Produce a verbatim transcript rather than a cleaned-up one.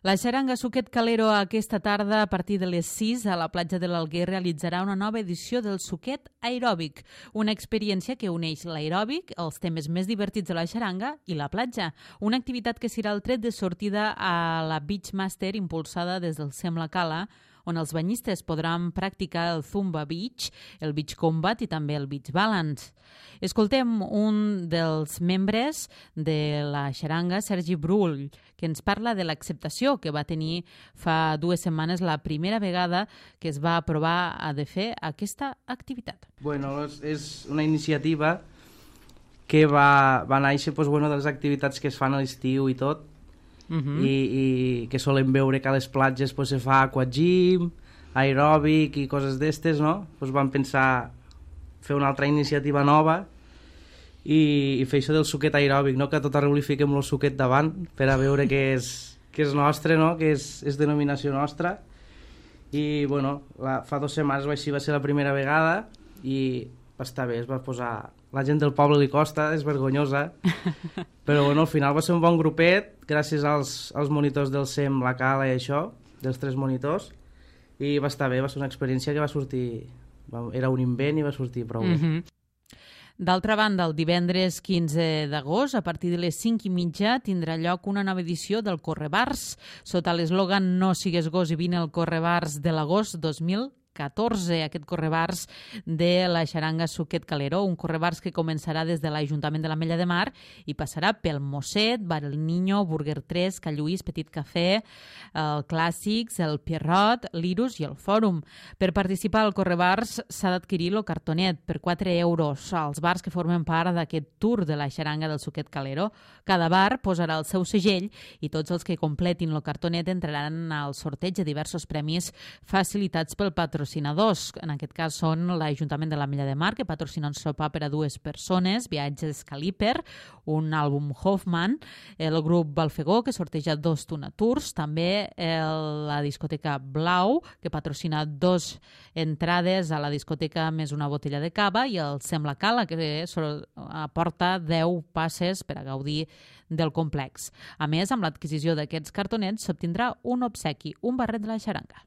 La xaranga Suquet Calero aquesta tarda a partir de les sis a la platja de l'Alguer realitzarà una nova edició del Suquet Aeròbic, una experiència que uneix l'aeròbic, els temes més divertits de la xaranga i la platja, una activitat que serà el tret de sortida a la Beach Master impulsada des del Sem La Cala, on els banyistes podran practicar el Zumba Beach, el Beach Combat i també el Beach Balance. Escoltem un dels membres de la xaranga, Sergi Brull, que ens parla de l'acceptació que va tenir fa dues setmanes la primera vegada que es va aprovar a de fer aquesta activitat. Bueno, és, és una iniciativa que va, va néixer pues, bueno, de les activitats que es fan a l'estiu i tot, Uh -huh. I, i que solem veure que a les platges pues, se fa aquagym, aeròbic i coses d'estes, no? Pues vam pensar fer una altra iniciativa nova i, i fer això del suquet aeròbic, no? Que a tot arreu li fiquem el suquet davant per a veure que és, que és nostre, no? Que és, és denominació nostra. I bueno, la, fa dues setmanes així va ser la primera vegada i va estar bé, es va posar... La gent del poble li costa, és vergonyosa, però bueno, al final va ser un bon grupet, gràcies als, als monitors del Sem, la Cala i això, dels tres monitors, i va estar bé, va ser una experiència que va sortir... Va, era un invent i va sortir prou bé. Mm-hmm. D'altra banda, el divendres quinze d'agost, a partir de les cinc i mitja, tindrà lloc una nova edició del Correbars, sota l'eslògan No sigues gos i vine al Correbars de l'agost dos mil catorze, aquest correbars de la xaranga Suquet Calero, un correbars que començarà des de l'Ajuntament de l'Ametlla de Mar i passarà pel Mosset, Bar El Niño, Burger tres, Ca Lluís, Petit Cafè, el Clàssics, el Pierrot, l'Irus i el Fòrum. Per participar al correbars s'ha d'adquirir el cartonet per quatre euros als bars que formen part d'aquest tour de la xaranga del Suquet Calero. Cada bar posarà el seu segell i tots els que completin el cartonet entraran al sorteig de diversos premis facilitats pel patrocinador. patrocinadors, en aquest cas són l'Ajuntament de l'Ametlla de Mar, que patrocina un sopar per a dues persones, Viatges Caliper, un àlbum Hoffman, el grup Balfegó, que sorteja dos Tuna Tours, també el, la discoteca Blau, que patrocina dos entrades a la discoteca més una botella de cava, i el Sem La Cala, que aporta deu passes per a gaudir del complex. A més, amb l'adquisició d'aquests cartonets s'obtindrà un obsequi, un barret de la xaranga.